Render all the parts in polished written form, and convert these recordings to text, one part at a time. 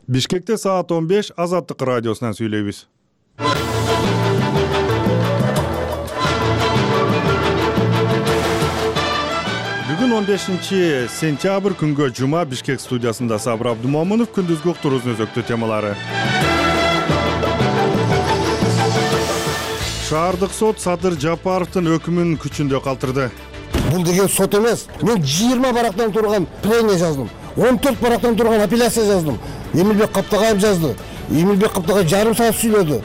Бишкекте саат 15 Азаттык радиосунан сүйлөйбүз. Бүгүн 15-сентябрь күнгө жума Бишкек студиясында Сабыр Абдумомунов күндүзгү уктуруубуздун өзөктүү темалары. Шаардык сот Садыр Жапаровдун өкүмүн күчүндө калтырды. Бул деген сот эмес. Мен 20 барактан турган плене жаздым. 14 барактан турган апелляция жаздым. Эмилбек Каптагаев жазды. Эмилбек Каптагаев жарым саат сүйлөдү.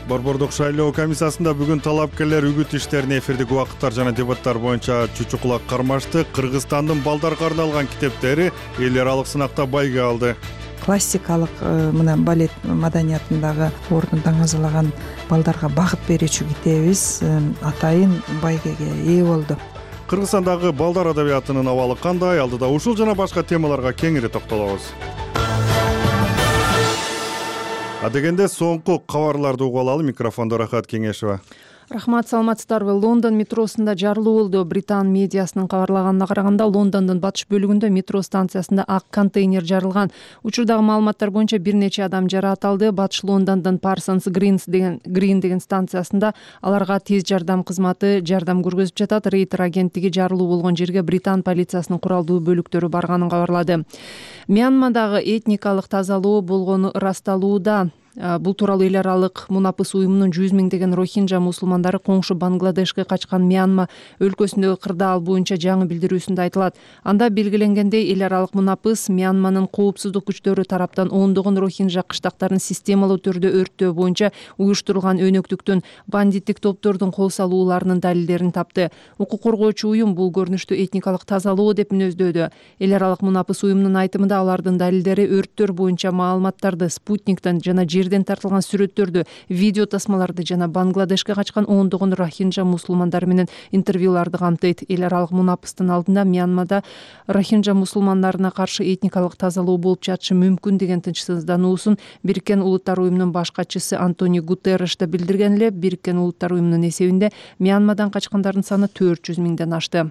Борбордук шайлоо комиссиясында бүгүн талапкерлер үгүт иштерине эфирдик убакыттар жана дебаттар боюнча чучукулак кармашты. Кыргызстандын балдарга арналган китептери эл аралык сынакта байга алды. Классикалык мына балет маданиятындагы ордун даңазалаган балдарга багыт берүүчү китебибиз атайын байгеге ээ болду. Кыргызстандагы балдар адабиятынын абалы кандай? Алдыда ушул жана башка темаларга кеңири токтолобуз. Адегенде соңку кабарларды угуп алалы. Микрофондо Рахат Кеңешева. Рахмат, саламатсыздарбы. Лондон метросунда жарылуу болду. Британ медиасынын кабарлаганына караганда, Лондондун батыш бөлүгүндө метро станциясында ак контейнер жарылган. Учурдагы маалыматтар боюнча бир нече адам жаракат алды. Батыш Лондондун Parsons Green деген станциясында аларга тез жардам кызматы жардам көргөзүп жатат. Рейтер агенттиги жарылуу болгон жерге Британ полициясынын куралдуу бөлүктөрү барганын кабарлады. Мьянмадагы этникалык тазалоо болгону ырасталууда. Бул тууралуу эл аралык мунапыс уюмунун 100 миңдеген рохинджа мусулмандары коңшу Бангладешке качкан Мьянма өлкөсүндөгү кырдаал боюнча жаңы билдирүүсүндө айтылат. Анда белгиленгендей, эл аралык мунапыс Мьянманын коопсуздук күчтөрү тараптан ондогон рохинджа кыштактарын системалуу түрдө өрттөө боюнча уюштурулган өнөктүктүн бандиттик топтордун кол салууларынын далилдерин тапты. Укук коргоочу уюм бул көрүнүштү этникалык тазалоо деп мүнөздөдү. Эл аралык мунапыс уюмунун айтымында алардын далилдери өрттөр боюнча маалыматтарды спутниктен жана жерден тартылган сүрөттөрдү, видео тасмаларды жана Бангладешке качкан ондогон рохинджа мусулмандар менен интервьюларды камтыйт. Эл аралык мунапыстын алдында Мьянмада рохинджа мусулмандарына каршы этникалык тазалоо болуп жатышы мүмкүн деген тынчсыздануусун Бириккен Улуттар уюмунун баш катчысы Антонио Гутерреш да билдирген эле. Бириккен Улуттар уюмунун эсебинде Мьянмадан качкандардын саны 400 миңден ашты.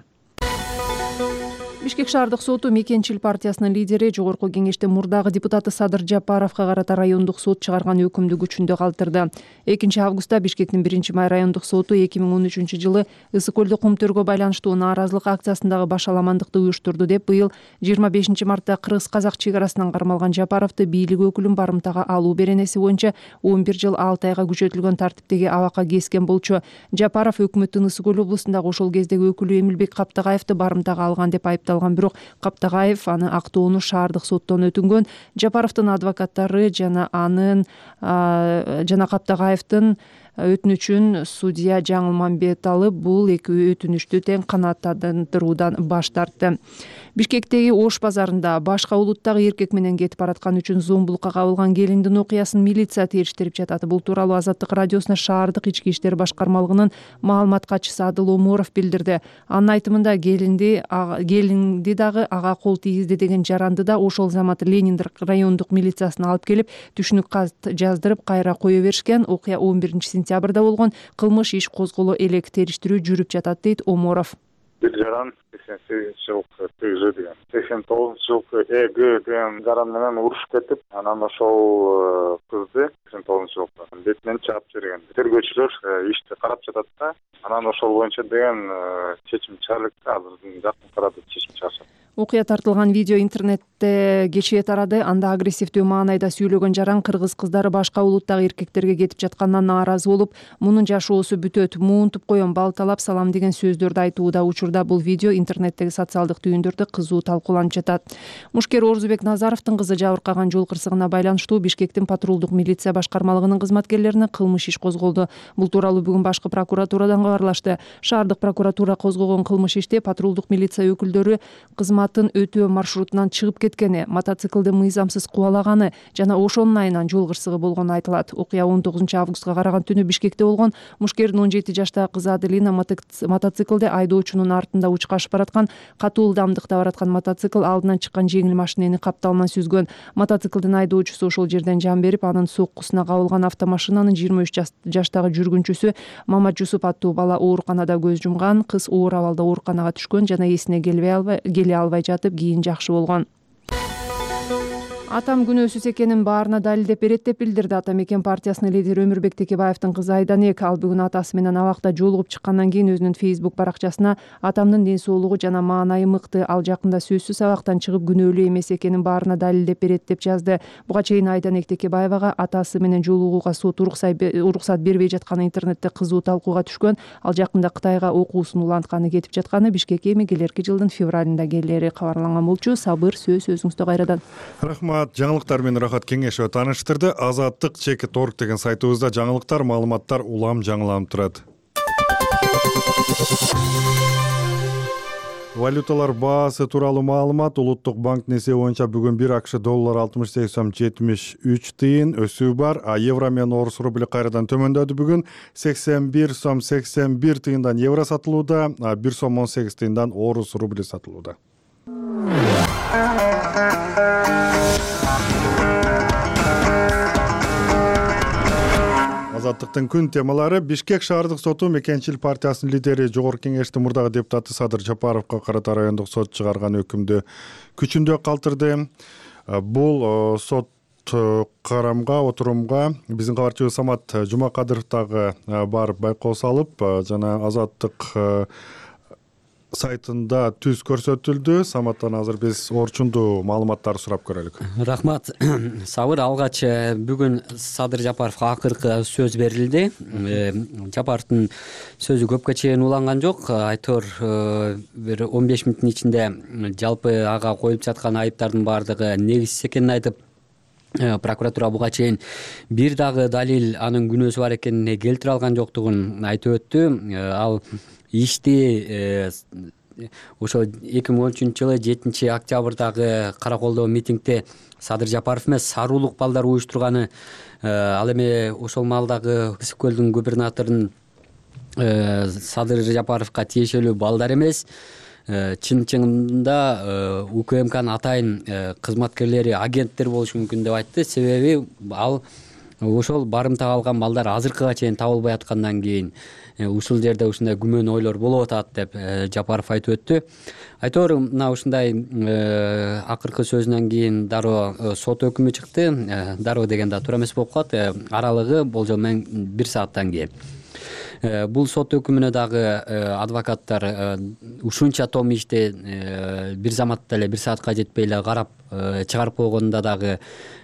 Бишкек шаардык соту Мекенчил партиясынын лидери, жогорку кеңеште мурдагы депутаты Садыр Жапаровго карата райондук сот чыгарган өкүмдү күчүндө калтырды. 2-августта Бишкектин 1-май райондук соту 2013-жылы Ысык көлдө кум төргө байланыштуу нааразылык акциясындагы башаламандыкты уюштурду деп, быйыл 25-мартта кыргыз-казак чек арасынан кармалган Жапаровду бийлик өкүлүн барымтага алуу беренеси боюнча 11 жыл 6 айга күчөтүлгөн тартиптеги абакка кескен болчу. Жапаров өкмөттүн Ысык көл облусундагы ошол кездеги өкүлү Эмилбек Каптагаевди барымтага алган деп бирок Каптагаев аны актоону шаардык соттон өтүнгөн. Жапаровдун адвокаттары жана Каптагаевдин өтүнүчүн судья Жаңылмамбет алып, бул эки өтүнүштү тең канааттандыруудан баш тартты. Бишкектеги Ош базарында башка улуттагы эркек менен кетип бараткан үчүн зомбулукка кабылган келиндин окуясын милиция териштирип жатат. Бул тууралуу Азаттык радиосуна шаардык ички иштер башкармалыгынын маалымат катчысы Адыл Оморов билдирди. Анын айтымында келинди дагы ага кол тийгизди деген жаранды да ошол замат Ленин райондук милициясына алып келип, түшүнүк кат жаздырып кайра кое беришкен. Окуя 11-сентябрда болгон, кылмыш иш козголо элек, териштирүү жүрүп жатат, дейт Оморов. Бир жаран 88-жылкы ТЖ деген 89-жылкы ЭГ деген жаран менен урушуп кетип, анан ошол кызды 89-жылкы бетинен чаап жиберген. Тергөөчүлөр ишти карап жатат да, анан ошол боюнча деген чечим чыгарылды. Азыр жакын арада чечим чыгышат. Окуя тартылган видео интернетте кечээ тарады. Анда агрессивдүү маанайда сүйлөгөн жаран кыргыз кыздары башка улуттагы эркектерге кетип жаткандан нааразы болуп, мунун жашоосу бүтөт, муунтуп коем, балталап салам деген сөздөрдү айтууда. Учурда бул видео интернеттеги социалдык түйүндөрдө кызуу талкууланып жатат. Мушкер Орзубек Назаровдун кызы жабыркаган жол кырсыгына байланыштуу Бишкектин патрулдук милиция башкармалыгынын кызматкерлерине кылмыш иш козголду. Бул тууралуу бүгүн башкы прокуратурадан кабарлашты. Шаардык прокуратура козгогон кылмыш иште патрулдук милиция өкүлдөрү кызматын өтөө маршрутунан чыгып кеткени, мотоциклди мыйзамсыз кубалаганы жана ошонун айынан жол кырсыгы болгону айтылат. Окуя 19-августка караган түнү Бишкекте болгон. Мушкердин 17 жаштагы кызы Аделина мотоциклде айдоочунун артында учкашып бараткан. Катуу ылдамдыкта бараткан мотоцикл алдынан чыккан жеңил машинени капталынан сүзгөн. Мотоциклдин айдоочусу ошол жерден жан берип, анын соккусуна кабылган автомашинанын 23 жаштагы жүргүнчүсү Мамат Жусуп аттуу бала ооруканада көз жумган. Кыз оор абалда ооруканага түшкөн жана эсине келе албай жатып, кийин жакшы болгон. Атам күнөөсүз экенин баарына далилдеп берет деп билдирди Ата Мекен партиясынын лидери Өмүрбек Текебаевдин кызы Айданек. Ал бүгүн атасы менен абакта жолугуп чыккандан кийин өзүнүн Facebook баракчасына атамдын ден соолугу жана маанайы мыкты, ал жакында сөзсүз абактан чыгып күнөөлүү эмес экенин баарына далилдеп берет деп жазды. Буга чейин Айданек Текебаевага атасы менен жолугууга сот уруксат бербей жатканы интернетте кызуу талкууга түшкөн. Ал жакында Кытайга окуусун улантканы кетип жатканы Бишкекке эми келерки жылдын февралында келери кабарланган болчу. Сабыр, сөз өзүңүздө кайрадан. Рахмат. Жаңылыктар менен Рахат Кеңешова тааныштырды. Азаттык.org деген сайтыбызда жаңылыктар, маалыматтар улам жаңыланып турат. Валюталар баасы тууралуу маалымат. Улуттук банктын эсеби боюнча бүгүн 1 АКШ доллар 68 сом 73 тыйын өсүү бар. А евро менен орус рубли кайрадан төмөндөдү. Бүгүн 81 сом 81 тыйындан евро сатылууда, 1 сом 18 тыйындан орус рубли сатылууда. Азаттыктын күн темалары. Бишкек шаардык соту Мекенчил партиясынын лидери Жогорку Кеңештин мурдагы депутаты Садыр Жапаровго карата райондук сот чыгарган өкүмдү күчүндө калтырды. Бул сот карамга, отурумга биздин кабарчыбыз Самат Жумакадыров дагы барып байкоо салып, жана Азаттык сайтында түз көрсөтүлдү. Саматтан азыр биз орчундуу маалыматтарды сурап көрөлүк. Рахмат. Сабыр, алгач бүгүн Садыр Жапаровго акыркы сөз берилди. Жапаровдун сөзү көпкө чейин уланган жок. Айтор бир 15 мүнөттүн ичинде жалпы ага коюлуп жаткан айыптардын баардыгы негизсиз экенин айтып, прокуратура буга чейин бир дагы далил анын күнөөсү бар экенине келтире алган жоктугун айтып өттү. Ал ишти ошо 2013-жылы 7-октябрдагы Караколдо митингде Садыр Жапаров эмес, Саруулук балдар уюштурганы, ал эми ошол маалдагы Ысык көлдүн губернаторунун Садыр Жапаровго тиешелүү балдар эмес, чын-чынында УКМКнын атайын кызматкерлери, агенттер болушу мүмкүн деп айтты. Себеби ал ошол барымтага алган балдар азыркыга чейин табылбай аткандан кийин ушул жерде ушундай күмөн ойлор болуп атат деп Жапаров айтып өттү. Айтор мына ушундай акыркы сөзүнөн кийин дароо сот өкүмү чыкты. Дароо деген да туура эмес болуп калат. Аралыгы болжол менен 1 сааттан кийин. Бул сот өкүмүнө дагы адвокаттар ушунча том ишти бир заматта эле 1 саатка жетпей эле карап чыгарып койгонунда дагы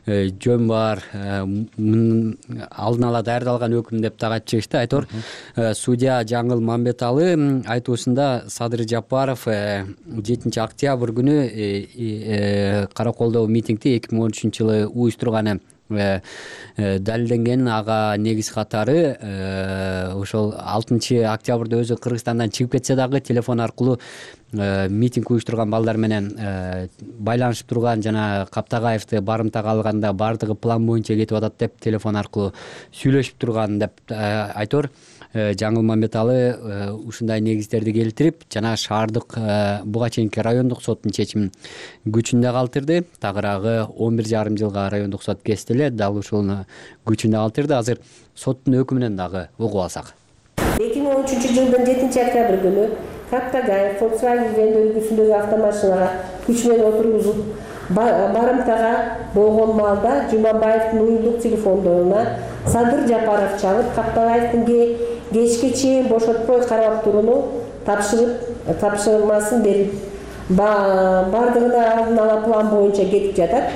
жөн бар, алдын ала даярдалган өкүм деп дагы айтып чыгышты. Айтор судья Жаңыл Мамбеталы айтуусунда Садыр Жапаров 7 октябрь күнү Караколдо митингди 2013-жылы уюштурганы далилденгенин, ага негиз катары ошол 6 октябрда өзү Кыргызстандан чыгып кетсе дагы телефон аркылуу митинг уюштурган балдар менен байланышып турган, жана Каптагаевди барымтага алганда баардыгы план боюнча кетип атат деп телефон аркылуу сүйлөшүп турган деп айтор. Жаңыл Мамбеталы ушундай негиздерди келтирип, жана шаардык буга чейинки райондук соттун чечимин күчүндө калтырды. Тагыраагы 11,5 жылга райондук сот кести эле, дал ушуну күчүндө калтырды. Азыр соттун өкүмүнөн дагы угуп алсак. 2013-жылдын 7 октябрь күнү Каптагаев Volkswagen үлгүсүндөгү автомашинага күч менен отургузуп, барымтага болгон маалда Жумабаевдин уюлдук телефондоруна Садыр Жапаров чалып, Каптагаевдин кечке чейин бошотпой карап турууну тапшырмасын берип, бардыгына алдын ала план боюнча кетип жатат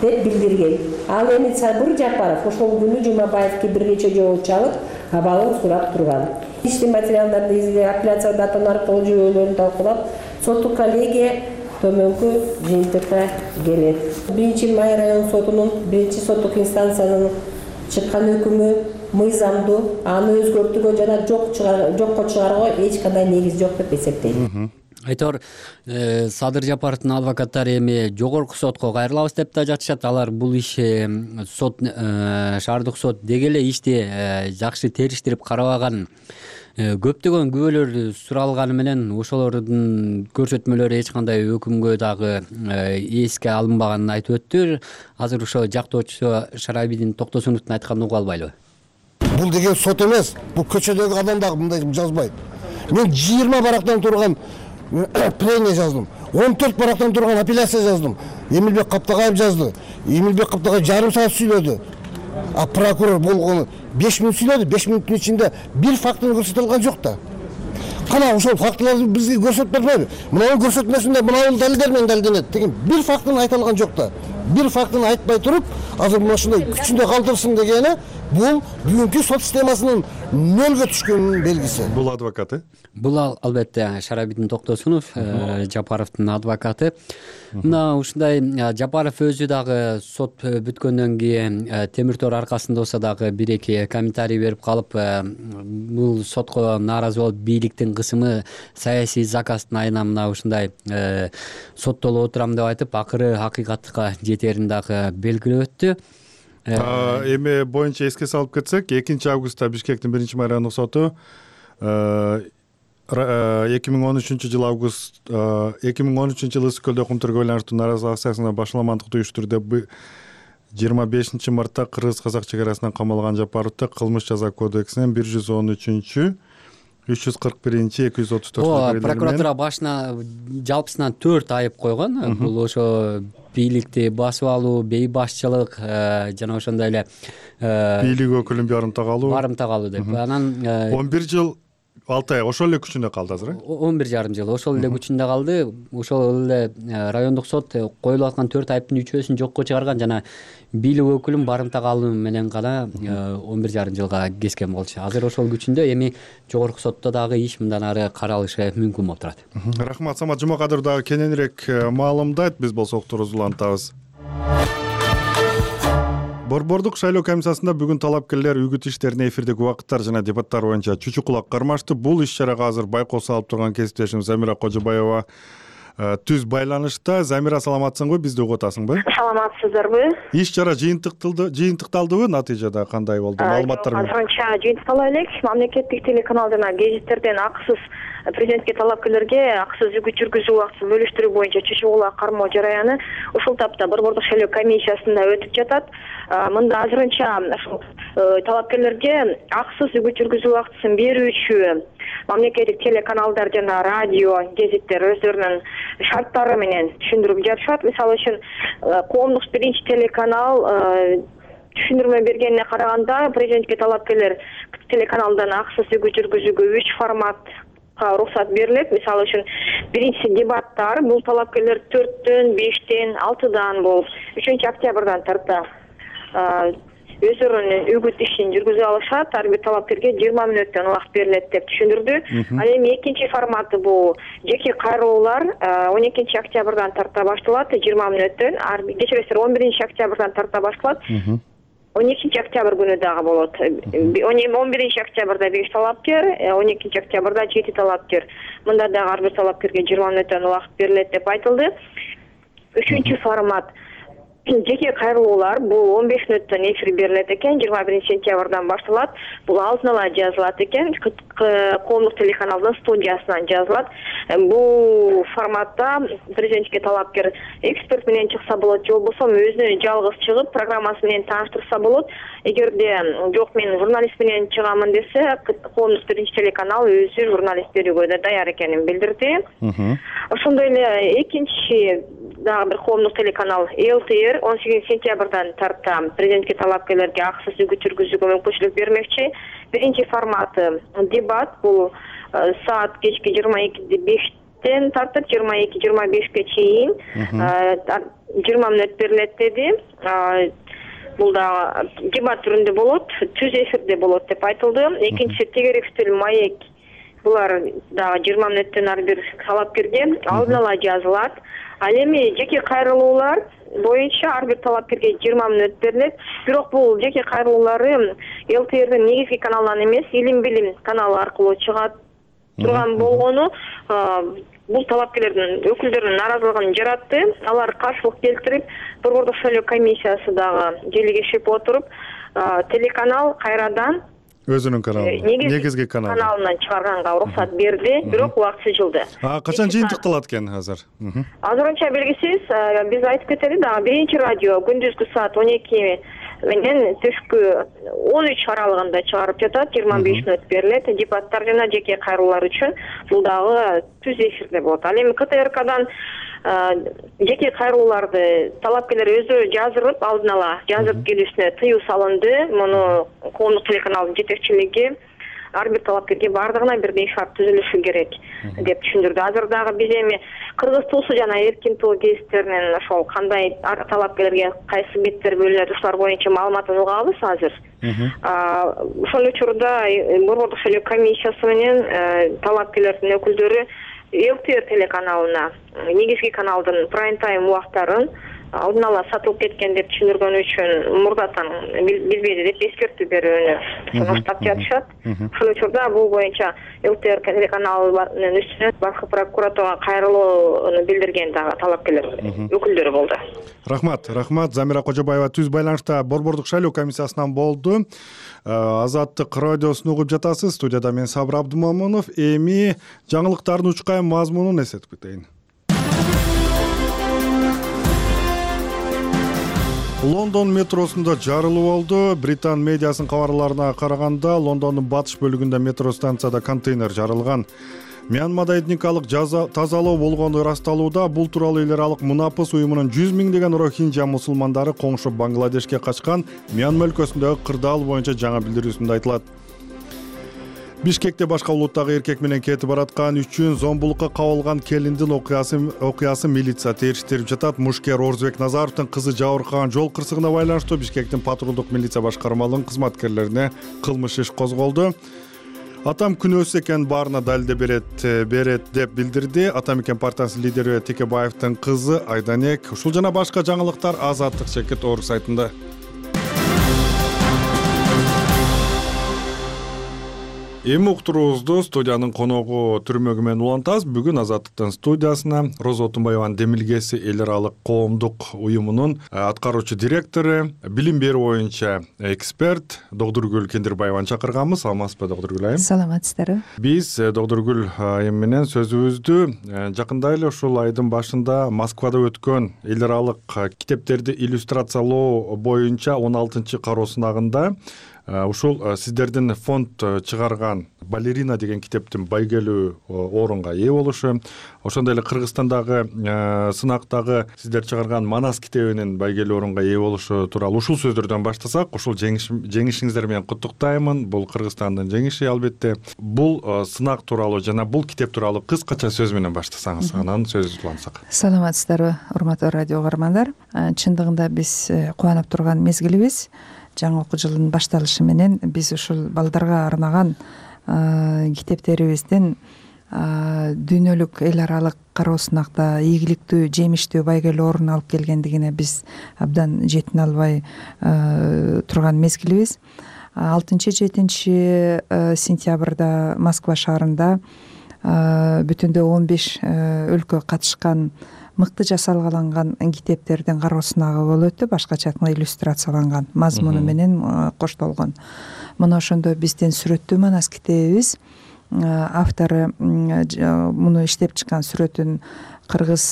деп билдирген. Ал эми Садыр Жапаров ошол күнү Жумабаевге бир нече жолу чалып, абалын сурап турган. Иштин материалдарды изилеп, апелляция датаны аркылуу жүйөлөрүн талкуулап, соттук коллегия төмөнкү жыйынтыкка келет. 1 май район сотунун 1-соттук инстанциянын чыккан өкүмү мыйзамдуу, аны өзгөртүүгө жана жокко чыгарууга эч кандай негиз жок деп эсептейт. Айтор, Садыр Жапаровдун адвокаттары эми жогорку сотко кайрылабыз деп да жатышат. Алар бул иш сот, шаардык сот деги эле ишти жакшы териштирип карабаган, көптөгөн күбөлөрдү суралганы менен ошолордун көрсөтмөлөрү эч кандай өкүмгө дагы эске алынбаганын айтып өттү. Азыр ошо жактоочусу Шарабидин Токтосуновдун айтканын угуп албайлыбы? Бул деген сот эмес, бул көчөдөгү адам дагы мындай жазбайт. Мен 20 барактан турган прения жаздым. 14 барактан турган апелляция жаздым. Эмилбек Каптагаев жазды. Эмилбек Каптагай жарым саат сүйлөдү. А прокурор болгону 5 мүнөт сүйлөдү. 5 мүнөттүн ичинде бир фактыны көрсөтүлгөн жок да. Кана ошол фактыларды бизге көрсөтүп бербейби? Мунун көрсөтмөсүндө мунун далилдер менен далилденет деген бир фактыны айта алган жок да. Бир фактыны айтпай туруп, азыр мына ушундай күчүндө калтырсын дегени бул бүгүнкү сот системасынын нөлгө түшкөнүнүн белгиси. Бул адвокаты? Бул албетте Шарабидин Токтосунов, Жапаровдун адвокаты. Мына ушундай Жапаров өзү дагы сот бүткөндөн кийин темир тор аркасында болсо дагы бир-эки комментарий берип калып, бул сотко нааразы болуп бийликтин кысымы саясий заказдын айына мына ушундай соттолуп отурам деп айтып, акыры акыйкатка жетерин дагы белгилеп өттү. Эми боюнча эске салып кетсек, 2-августта Бишкектин 1-майрандык соту 2013-жылы август 2013-жылы Ысык көлдө кумтүргө байланыштуу нааразылык акциясына башаламандыкты уюштурду деп 25-мартта кыргыз-казак чек арасынан камалган Жапаровду кылмыш жаза кодексинин 113, 341, 234 прокуратура башына жалпысынан 4 айып койгон. Бул ошо бийликти басып алуу, бейбашчылык жана ошондой эле бийлик өкүлүн барымтак алуу деп. Анан 11 жыл 6 ай ошол эле күчүндө калды азыр. 11,5 жыл ошол эле күчүндө калды. Ошол эле райондук сот коюлуп аткан 4 айыптын 3-өсүн жокко чыгарган жана бийлик өкүлүн барымтак алуу менен гана 11,5 жылга кескен болчу. Азыр ошол күчүндө эми жогорку сотто дагы иш мындан ары каралышы мүмкүн болуп турат. Рахмат, Самат Жумакадыр дагы кененирээк маалымдайт, биз болсо уктурубузду улантабыз. Борбордук шайлоо комиссиясында бүгүн талапкерлер үгүт иштерине эфирдик убакыттар жана дебаттар боюнча чүчү кулак кармашты. Бул иш-чарага азыр байкоо салып турган кесиптешим Замира Кожобаева түз байланышта. Замира, саламатсыңбы? Бизди угуп атасыңбы? Саламатсыздарбы? Иш-чара жыйынтыкталдыбы? Натыйжада кандай болду? Маалыматтар менен. Азырынча жыйынтыктала элек. Мамлекеттик телеканал жана гезиттерден акысыз президентке талапкерлерге акысыз үгүт жүргүзүү убактысын бөлүштүрүү боюнча чүчү кулак кармоо жараяны ушул тапта Борбордук шайлоо комиссиясында өтүп жатат. Мында азырынча талапкерлерге акысыз үгүт жүргүзүү убактысын берүүчү мамлекеттик телеканалдар жана радио, гезиттер өздөрүнүн шарттары менен түшүндүрүп жатышат. Мисалы үчүн Коомдук биринчи телеканал түшүндүрмө бергенине караганда президентке талапкерлер телеканалдан акысыз үгүт жүргүзүүгө 3 форматка уруксат берилет. Мисалы үчүн биринчиси дебаттар, бул талапкерлер 4-төн, 5-тен, 6-дан болуп 3-октябрдан тарта өздөрүнүн үгүт ишин жүргүзө алышат. Ар бир талапкерге 20 мүнөттөн убакыт берилет деп түшүндүрдү. Ал эми экинчи форматы бул жеке кайрылуулар 12-октябрдан тарта башталат 20 мүнөттөн. Кечиресиздер, 11-октябрдан тарта башталат. 12-октябрь күнү дагы болот. 11-октябрда 5 талапкер, 12-октябрда 7 талапкер. Мында дагы ар бир талапкерге 20 мүнөттөн убакыт берилет деп айтылды. Үчүнчү формат жеке кайрылуулар, бул 15 мүнөттөн эфир берилет экен, 21-сентябрдан башталат. Бул алдын ала жазылат экен, Коомдук телеканалдын студиясынан жазылат. Бул форматта президентке талапкер эксперт менен чыкса болот, же болбосо өзүнө жалгыз чыгып программасы менен тааныштырса болот. Эгерде жок, мен журналист менен чыгамын десе, Коомдук биринчи телеканал өзү журналист берүүгө да даяр экенин билдирди. Ошондой эле экинчи дагы бир Коомдук телеканал ЛТР 18-сентябрдан тарта президентке талапкерлерге акысыз үгүт жүргүзүүгө мүмкүнчүлүк бермекчи. Биринчи форматы дебат, бул саат кечки 22:05 тартып 22:25 чейин 20 мүнөт берилет деди. Бул да дебат түрүндө болот, түз эфирде болот деп айтылды. Экинчиси тегерек стил, маек, булар дагы 20 мүнөттөн ар бир талапкерге алдын ала жазылат. Ал эми жеке кайрылуулар боюнча ар бир талапкерге 20 мүнөт берилет. Бирок бул жеке кайрылуулары ЛТРдин негизги каналынан эмес, Илим Билим каналы аркылуу чыгат турган болгону бул талапкерлердин өкүлдөрүнүн нааразылыгын жаратты. Алар каршылык келтирип, Борбордук шайлоо комиссиясы дагы желегешип отуруп, телеканал кайрадан өзүнүн каналынан, негизги каналынан чыгарганга уруксат берди, бирок убакыт сыжылды. Качан жыйынтыкталат экен азыр? Азырынча белгисиз. Биз айтып кетели дагы, биринчи радио күндүзгү саат 12 менен түшкү 13 аралыгында чыгарып жатат, 25 мүнөт берилет. Дебаттар жана жеке кайрылуулар үчүн бул дагы түз эфирде болот. Ал эми КТРКдан жеке кайрылууларды талапкерлер өзү жаздырып алдын ала жаздырып келүүсүнө тыюу салынды. Муну коомдук телеканалдын жетекчилиги ар бир талапкерге баардыгына бирдей шарт түзүлүшү керек деп түшүндүрдү. Азыр дагы биз эми кыргыз туусу жана эркин тоо гезиттеринен ошол кандай талапкерлерге кайсы беттер бөлүнөт ушулар боюнча маалыматын угабыз азыр. Ошол учурда Борбордук шайлоо комиссиясы менен талапкерлердин өкүлдөрү ЛТР телеканалына негизги каналдын прайм тайм убактарын алдын ала сатылып кеткен деп түшүндүргөн үчүн мурдатан билбеди деп эскертүү берүүнү сунуштап жатышат. Ошол учурда бул боюнча ЛТР телеканалынын үстүнө башкы прокуратурага кайрылууну билдирген дагы талапкерлер өкүлдөрү болду. Рахмат. Замира Кожобаева түз байланышта Борбордук шайлоо комиссиясынан болду. Азаттык радиосун угуп жатасыз. Студияда мен Сабыр Абдымомунов. Эми жаңылыктардын учкайым мазмунун эсептеп кетейин. Лондон метросунда жарылуу болду. Британ медиасынын кабарларына караганда, Лондондун батыш бөлүгүндө метро станцияда контейнер жарылган. Мьянмада этникалык тазалоо болгону ырасталууда. Бул тууралуу эл аралык Мунапыс уюмунун 100 миңдеген рохинджа мусулмандары коңшу Бангладешке качкан Мьянма өлкөсүндөгү кырдаал боюнча жаңа билдирүүсүндө айтылат. Бишкекте башка улуттагы эркек менен кетип бараткан үчүн зомбулукка кабылган келиндин окуясы милиция териштирип жатат. Мушкер Орзбек Назаровдун кызы жабыркаган жол кырсыгына байланыштуу Бишкектин патрулдук милиция башкармалыгынын кызматкерлерине кылмыш иш козголду. Атам күнөөсүз экенин баарына далилдеп берет деп билдирди Ата Мекен партиясынын лидери Текебаевдин кызы Айданек. Ушул жана башка жаңылыктар Азаттык Чекит Орус сайтында. Эми уктуруубузду студиянын коногу Түрмөгү менен улантабыз. Бүгүн Азаттыктын студиясына Роза Отунбаеванын демилгеси эл аралык коомдук уюмунун аткаруучу директору, билим берүү боюнча эксперт Догдургүл Кендирбаеваны чакырганбыз. Саламатсызбы, Догдургүл айым? Саламатсыздарбы. Биз Догдургүл айым менен сөзүбүздү жакында эле ушул айдын башында Москвада өткөн эл аралык китептерди иллюстрациялоо боюнча 16-кароо сынагында ушул сиздердин фонд чыгарган «Балерина» деген китептин байгелүү орунга ээ болушу, ошондой эле Кыргызстандагы сынактагы сиздер чыгарган «Манас» китебинин байгелүү орунга ээ болушу тууралуу ушул сөздөрдөн баштасак, ушул жеңишиңиздер менен куттуктаймын. Бул Кыргызстандын жеңиши албетте. Бул сынак тууралуу жана бул китеп тууралуу кыскача сөз менен баштасаңыз, анан сөз улантсак. Саламатсыздарбы, урматтуу радио угармандар. Чындыгында биз кубанып турган мезгилибиз. Жаңы окуу жылынын башталышы менен биз ушул балдарга арнаган китептерибиздин дүйнөлүк эл аралык кароо сынакта ийгиликтүү, жемиштүү байгелүү орун алып келгендигине биз абдан жетине албай турган мезгилибиз. 6-7 сентябрда Москва шаарында бүтүндө 15 өлкө катышкан мыкты жасалгаланган китептердин кароо сынагы болуп өттү. Башкача айтканда иллюстрацияланган мазмуну менен коштолгон. Мына ошондо биздин сүрөттүү Манас китебибиз автору муну иштеп чыккан сүрөтүн Кыргыз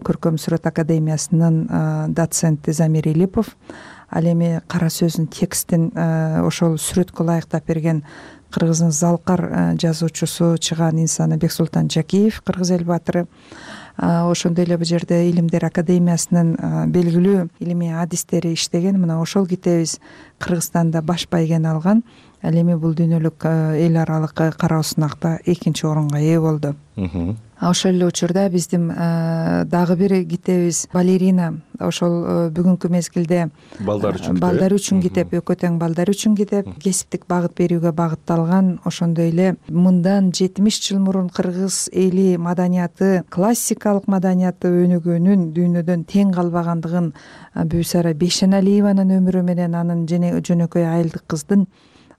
көркөм сүрөт академиясынын доценти Замир Илипов, ал эми кара сөздүн текстин ошол сүрөткө ылайыктап берген Кыргыздын залкар жазуучусу, чыгаан инсаны Бексултан Жакиев, кыргыз эл баатыры. Ошондой эле бул жерде Илимдер академиясынын белгилүү илимий адистери иштеген. Мына ошол китебибиз Кыргызстанда баш байгени алган. Ал эми бул дүйнөлүк эл аралык кароо сынакта 2-чи орунга ээ болду. Ошол эле учурда биздин дагы бир китебибиз «Балерина». Ошол бүгүнкү мезгилде балдар үчүн китеп, экөө тең балдар үчүн китеп, кесиптик багыт берүүгө багытталган. Ошондой эле мындан 70 жыл мурун кыргыз эли маданияты, классикалык маданияты өнүгүүнүн дүйнөдөн тең калбагандыгын Бүсара Бейшеналиеванын өмүрү менен анын жөнөкөй айылдык кыздын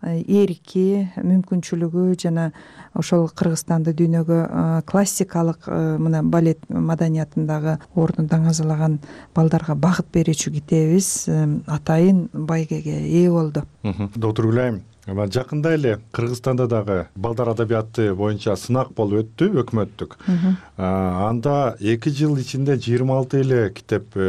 эрки, мүмкүнчүлүгү жана ошол Кыргызстанды дүйнөгө классикалык мына балет маданиятындагы ордун даңазалаган балдарга багыт берүүчү китебибиз атайын байгеге ээ болду. Доктор Гүлайым, жакында эле Кыргызстанда дагы балдар адабияты боюнча сынак болуп өттү, өкмөттүк. Анда 2 жыл ичинде 26 эле китеп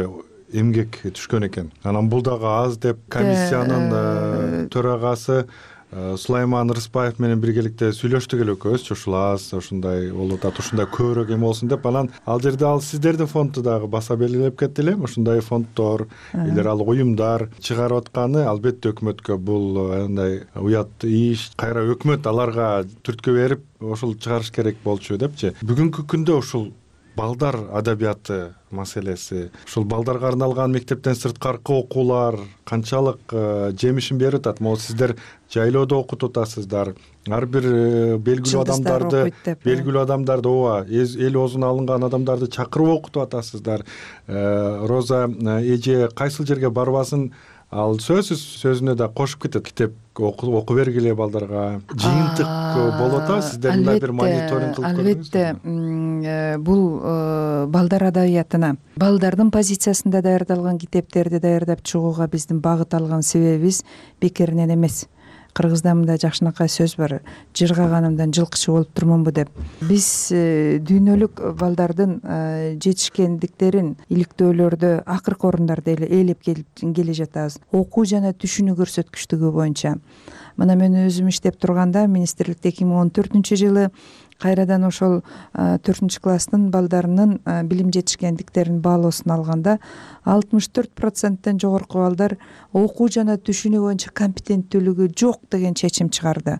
эмгек түшкөн экен. Анан бул дагы аз деп комиссиянын төрагасы Сулайман Рыспаев менен биргеликте сүйлөштүк эле экөөбүз, ушул аз ушундай болуп атат, ушундай көбүрөөк эме болсун деп. Анан ал жерде ал сиздердин фондду дагы баса белгилеп кетти элем. Ушундай фонддор, элер ал уюмдар чыгарып атканы албетте өкмөткө бул андай уят иш. Кайра өкмөт аларга түрткү берип ошол чыгарыш керек болчу депчи. Бүгүнкү күндө ушул балдар адабияты маселеси, ушул балдарга арналган мектептен сырткаркы окуулар канчалык жемишин берип атат? Могу сиздер жайлоодо окутуп атасыздар. Ар бир белгилүү адамдарды ооба, эл оозуна алынган адамдарды чакырып окутуп атасыздар. Роза эже кайсыл жерге барбасын ал сөзүнө да кошуп кетет. Китеп окуп бергиле балдарга. Жыйынтык болуп атабы? Сиздер мындай бир мониторинг кылып көрдүңүзбү? Албетте, бул балдар адабиятына, балдардын позициясында даярдалган китептерди даярдап чыгууга биздин багыт алган себебибиз бекеринен эмес. Кыргызда мындай жакшынакай сөз бар: жыргаганымдан жылкычы болуп турмунбу деп. Биз дүйнөлүк балдардын жетишкендиктерин иликтөөлөрдө акыркы орундарда ээлеп келе жатабыз. Окуу жана түшүнүү көрсөткүчтүгү боюнча. Мына мен өзүм иштеп турганда министрликте 2014-жылы кайрадан ошол 4-класстын балдарынын билим жетишкендиктеринин баалоосун алганда 64%тен жогорку балдар окуу жана түшүнүү боюнча компетенттүүлүгү жок деген чечим чыгарды.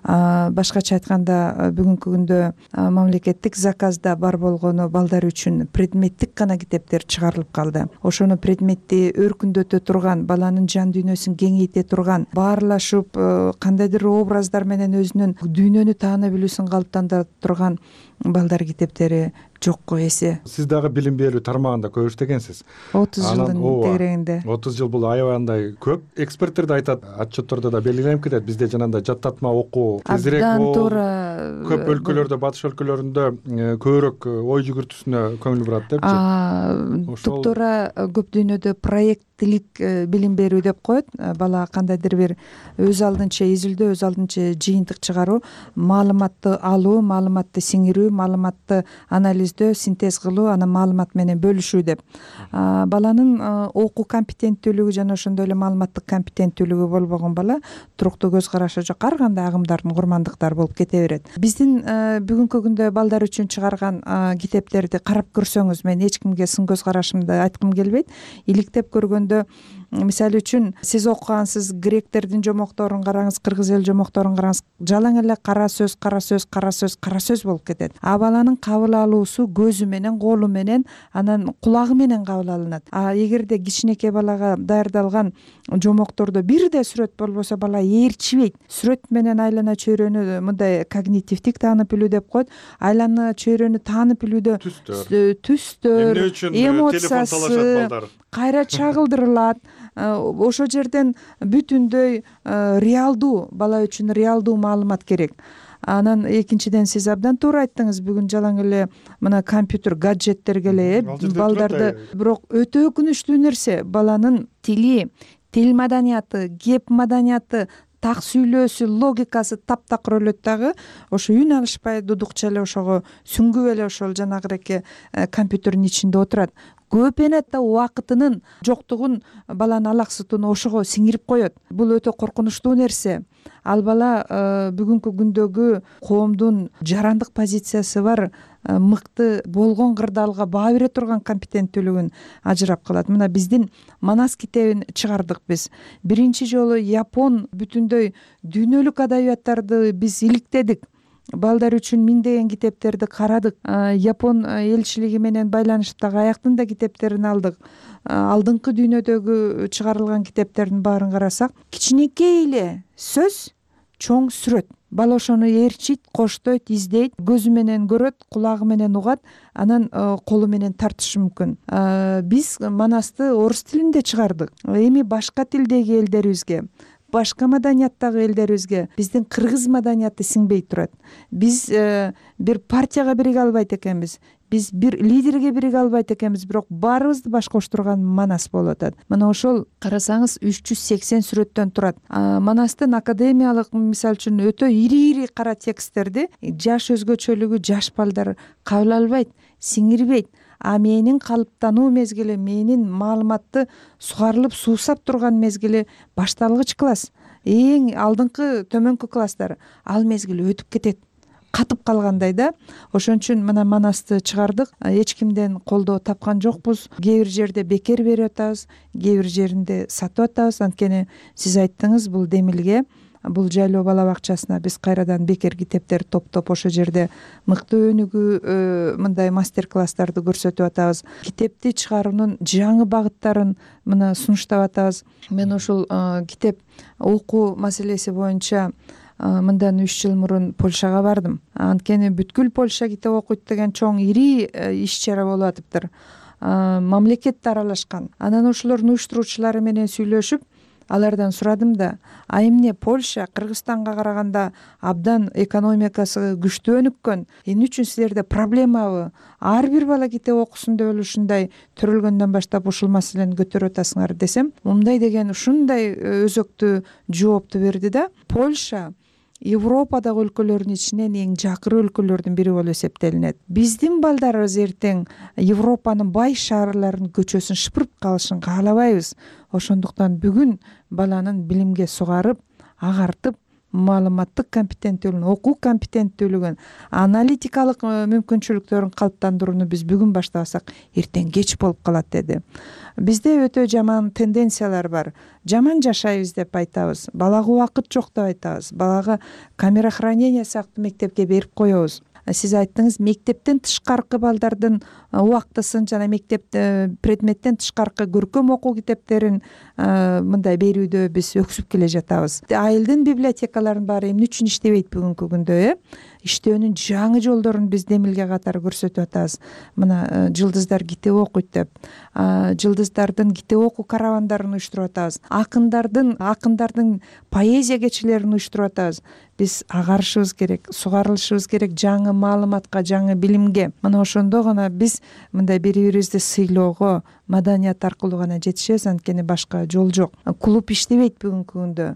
Башкача айтканда, бүгүнкү күндө мамлекеттик заказда бар болгону балдар үчүн предметтик гана китептер чыгарылып калды. Ошону предметти өркүндөтө турган, баланын жан дүйнөсүн кеңейте турган, баарлашып кандайдыр образдар менен өзүнүн дүйнөнү таана билүүсүн калыптандыра турган балдар китептери жокко эсе. Сиз дагы билим берүү тармагында көп иштегенсиз. 30 жылдын тегерегинде. 30 жыл бул аябай көп. Эксперттер да айтат, отчеттордо да белгиленип кетет. Бизде жанагындай жаттатма окуу тезирээк көп өлкөлөрдө, батыш өлкөлөрүндө көбүрөөк ой жүгүртүүсүнө көңүл бурат депчи. Туптуура көп дүйнөдө проекттилик билим берүү деп коет. Бала кандайдыр бир өз алдынча изилдөө, өз алдынча жыйынтык чыгаруу, маалыматты алуу, маалыматты сиңирүү, маалыматты анализдөө, синтез кылуу, анан маалымат менен бөлүшүү деп. Баланын окуу компетенттүүлүгү жана ошондой эле маалыматтык компетенттүүлүгү болбогон бала туруктуу көз карашы жок ар кандай агымдардын курмандыктары болуп кете берет. Биздин бүгүнкү күндө балдар үчүн чыгарган китептерди карап көрсөңүз, мен эч кимге сын көз карашымды айткым келбейт. Иликтеп көргөндө, мисалы үчүн, сиз окугансыз гректердин жомокторун караңыз, кыргыз эл жомокторун караңыз, жалаң эле кара сөз болуп кетет. Баланын кабыл алуусу көзү менен, колу менен, анан кулагы менен кабыл алынат. Эгерде кичинекей балага даярдалган жомоктордо бирде сүрөт болбосо, бала ээрчибейт. Сүрөт менен айлана чөйрөнү мындай когнитивдик таанып билүү деп коет. Айлана чөйрөнү таанып билүүдө түстөр, эмоциясы кайра чагылдырылат. Ошол жерден бүтүндөй реалдуу, бала үчүн реалдуу маалымат керек. Анан экинчиден, сиз абдан туура айттыңыз, бүгүн жалаң эле мына компьютер, гаджеттерге эле балдарды, бирок өтө өкүнүчтүү нерсе, баланын тили, тил маданияты, кеп маданияты, так сүйлөөсү, логикасы таптакыр өлөт дагы. Ошо үн алышпай дудукча эле ошого сүңгүп эле ошол жанагыреки компьютердин ичинде отурат. Көп энетте убакытынын жоктугун, баланын алаксытууну ошого сиңирип коет. Бул өтө коркунучтуу нерсе. Ал бала бүгүнкү күндөгү коомдун жарандык позициясы бар, мыкты болгон кырдаалга баа бере турган компетенттүүлүгүн ажырап калат. Мына биздин Манас китебин чыгардык биз. Биринчи жолу япон бүтүндөй дүйнөлүк адабияттарды биз иликтедик. Балдар үчүн миңдеген китептерди карадык. Япон элчилиги менен байланыштагы аяктын да китептерин алдык. Алдыңкы дүйнөдөгү чыгарылган китептердин баарын карасак, кичинекей эле сөз, чоң сүрөт. Бала ошону ээрчийт, коштойт, издейт, көзү менен көрөт, кулагы менен угат, анан колу менен тартышы мүмкүн. Биз Манасты орус тилинде чыгардык. Эми башка тилдеги элдерибизге, башка маданияттагы элдерибизге биздин кыргыз маданияты сиңбей турат. Биз бир партияга бириге албайт экенбиз. Биз бир лидерге бириге албайт экенбиз, бирок баарыбызды баш коштурган Манас болуп атат. Мына ошол карасаңыз 380 сүрөттөн турат. Манастын академиялык, мисалы үчүн, өтө ири кара тексттерди жаш өзгөчөлүгү жаш балдар кабыл албайт, сиңирбейт. Менин калыптануу мезгили, менин маалыматты сугарылып суусап турган мезгили башталгыч класс. эң алдыңкы төмөнкү класстар ал мезгил өтүп кетет, катып калгандай да. Ошон үчүн мына манасты чыгардык. Эч кимден колдоо тапкан жокпуз. Кээ бир жерде бекер берип атабыз, кээ бир жеринде сатып атабыз. Анткени сиз айттыңыз, бул Демилге, бул жайлоо бала бакчасына биз кайрадан бекер китептер топтоп ошол жерде мыкты өнүгүү мындай мастер класстарды көрсөтүп атабыз. Китепти чыгаруунун жаңы багыттарын мына сунуштап атабыз. Мен ушул китеп окуу маселеси боюнча мындан 3 жыл мурун Польшага бардым. Анткени бүткүл Польша китеп окуйт деген чоң ири иш-чара болуп атыптыр. Мамлекет аралашкан. Анан ошолордун уюштуруучулары менен сүйлөшүп, алардан сурадым да, эмне Польша Кыргызстанга караганда абдан экономикасы күчтүү өнүккөн, эмне үчүн силерде проблемабы? Ар бир бала китеп окусун деп эле ушундай төрөлгөндөн баштап ушул маселени көтөрүп атасыңар десем, мындай деген ушундай өзөктүү жоопту берди да. Польша Европадагы өлкөлөрдүн ичинен эң жакыр өлкөлөрдүн бири болуп эсептелинет. Биздин балдарыбыз эртең Европанын бай шаарларынын көчөсүн шыпырып калышын каалабайбыз. Ошондуктан бүгүн баланын билимге сугарып, агартып, маалыматтык компетенттүүлүгүн, окуу компетенттүүлүгүн, аналитикалык мүмкүнчүлүктөрүн калыптандырууну биз бүгүн баштабасак, эртең кеч болуп калат деди. Бизде өтө жаман тенденциялар бар. Жаман жашайбыз деп айтабыз. Балага убакыт жок деп айтабыз. Балага камера хранения сыяктуу мектепке берип коебуз. Сиз айттыңыз, мектептен тышкаркы балдардын убактысын жана мектеп предметтен тышкаркы көркөм окуу китептерин мындай берүүдө биз өксүп келе жатабыз. Айылдын библиотекаларынын баары эмне үчүн иштебейт бүгүнкү күндө? Иштөөнүн жаңы жолдорун биз Демилге катары көрсөтүп атабыз. Мына жылдыздар китеп окуйт деп, жылдыздардын китеп окуу каравандарын уюштуруп атабыз. Акындардын поэзия кечелерин уюштуруп атабыз. Биз агарышыбыз керек, сугарылышыбыз керек жаңы маалыматка, жаңы билимге. Мына ошондо гана биз мындай бири-бирибизди сыйлоого, маданият аркылуу гана жетишебиз, анткени башка жол жок. Клуб иштебейт бүгүнкү күндө.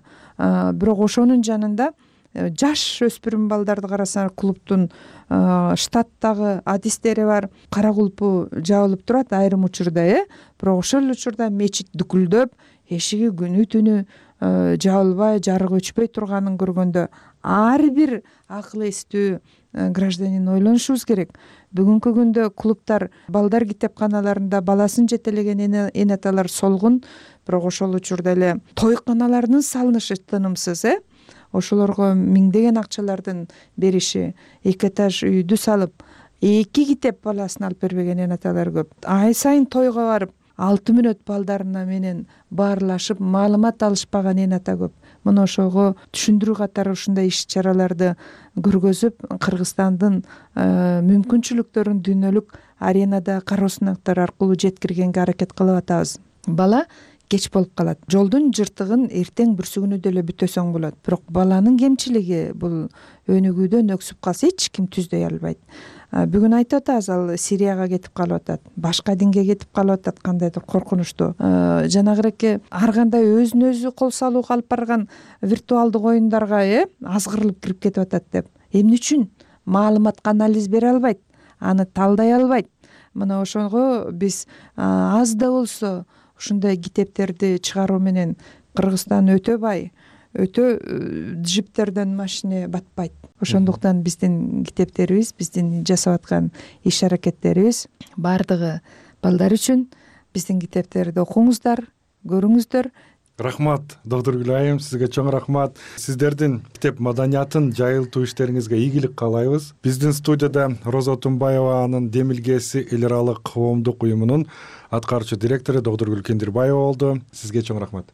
Бирок ошонун жанында жаш өспүрүм балдарды карасаңар, клубтун штаттагы адистери бар. Кара кулпу жабылып турат айрым учурда, бирок ошол учурда мечит дүкүлдөп, эшиги күнү түнү жабылбай, жарык өчпөй турганын көргөндө ар бир акыл эстүү гражданин ойлонушубуз керек. Бүгүнкү күндө клубтар, балдар китепканаларында баласын жетелеген эне аталар солгун, бирок ошол учурда эле тойканалардын салынышы тынымсыз. Ошолорго миңдеген акчалардын бериши, 2 этаж үйдү салып, 2 китеп баласына алып бербеген эне аталар көп. Ай сайын тойго барып, 6 мүнөт балдарына менен баарлашып, маалымат алышпаган эне ата көп. Мына ошого түшүндүрүү катары ушундай иш-чараларды көргөзүп, Кыргызстандын мүмкүнчүлүктөрүн дүйнөлүк аренада кароосунактар аркылуу жеткиргенге аракет кылып атабыз. Бала кеч болуп калат. Жолдун жыртыгын эртең бүрсүгүнү деле бүтөсөң болот. Бирок баланын кемчилиги бул өнүгүүдөн өксүп калса эч ким түздөй албайт. Бүгүн айтып атабыз, ал Сирияга кетип калып атат, башка динге кетип калып атат, кандайдыр коркунучтуу. Жанагыреке ар кандай өзүн өзү кол салууга алып барган виртуалдык оюндарга азгырылып кирип кетип атат деп. Эмне үчүн? Маалыматка анализ бере албайт, аны талдай албайт. Мына ошого биз аз да болсо ушундай китептерди чыгаруу менен Кыргызстан өтө бай, өтө джиптерден машине батпайт. Ошондуктан биздин китептерибиз, биздин жасап аткан иш-аракеттерибиз баардыгы балдар үчүн. Биздин китептерди окуңуздар, көрүңүздөр. Рахмат, доктор Гүл айым, сизге чоң рахмат. Сиздердин китеп маданиятын жайылтуу иштериңизге ийгилик каалайбыз. Биздин студияда Роза Тумбаеванын Демилгеси эл аралык коомдук уюмунун аткаруучу директору доктор Гүл Кендирбаева болду. Сизге чоң рахмат.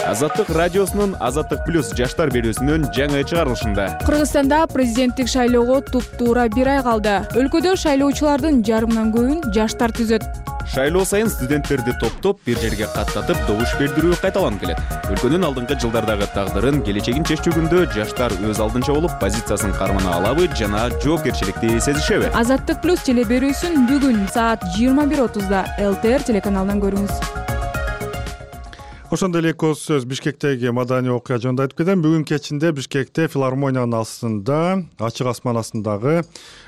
Азаттык радиосунун Азаттык плюс жаштар берүүсүнүн жаңы чыгарылышында Кыргызстанда президенттик шайлоого туп-туура 1 ай калды. Өлкөдө шайлоочулардын жарымынан көбүн жаштар түзөт. Шайлоо сайын студенттерди топтоп бир жерге каттатып добуш бердирүү кайталанып келет. Өлкөнүн алдыңкы жылдардагы тагдырын, келечегин чечүүгүндө жаштар өз алдынча болуп, позициясын кармана алабы жана жоопкерчиликти сезишеби? Азаттык плюс теле берүүсүн бүгүн саат 21:30 ЛТР телеканалынан көрүңүз. Ошондой эле көз сөз Бишкектеги маданий окуя жөнүндө айтып кетем. Бүгүн кечинде Бишкекте филармониянын алсында ачык асман астындагы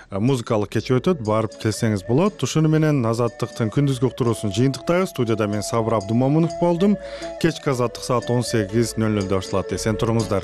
музыкалык кече өтөт. Барып келсеңиз болот. Ушуну менен Азаттыктын күндүзгү уктуруусун жыйынтыктайбыз. Студияда мен Сабыр Абдумомунов болдум. Кечки Азаттык саат 18:00 башталат. Эсен туруңуздар.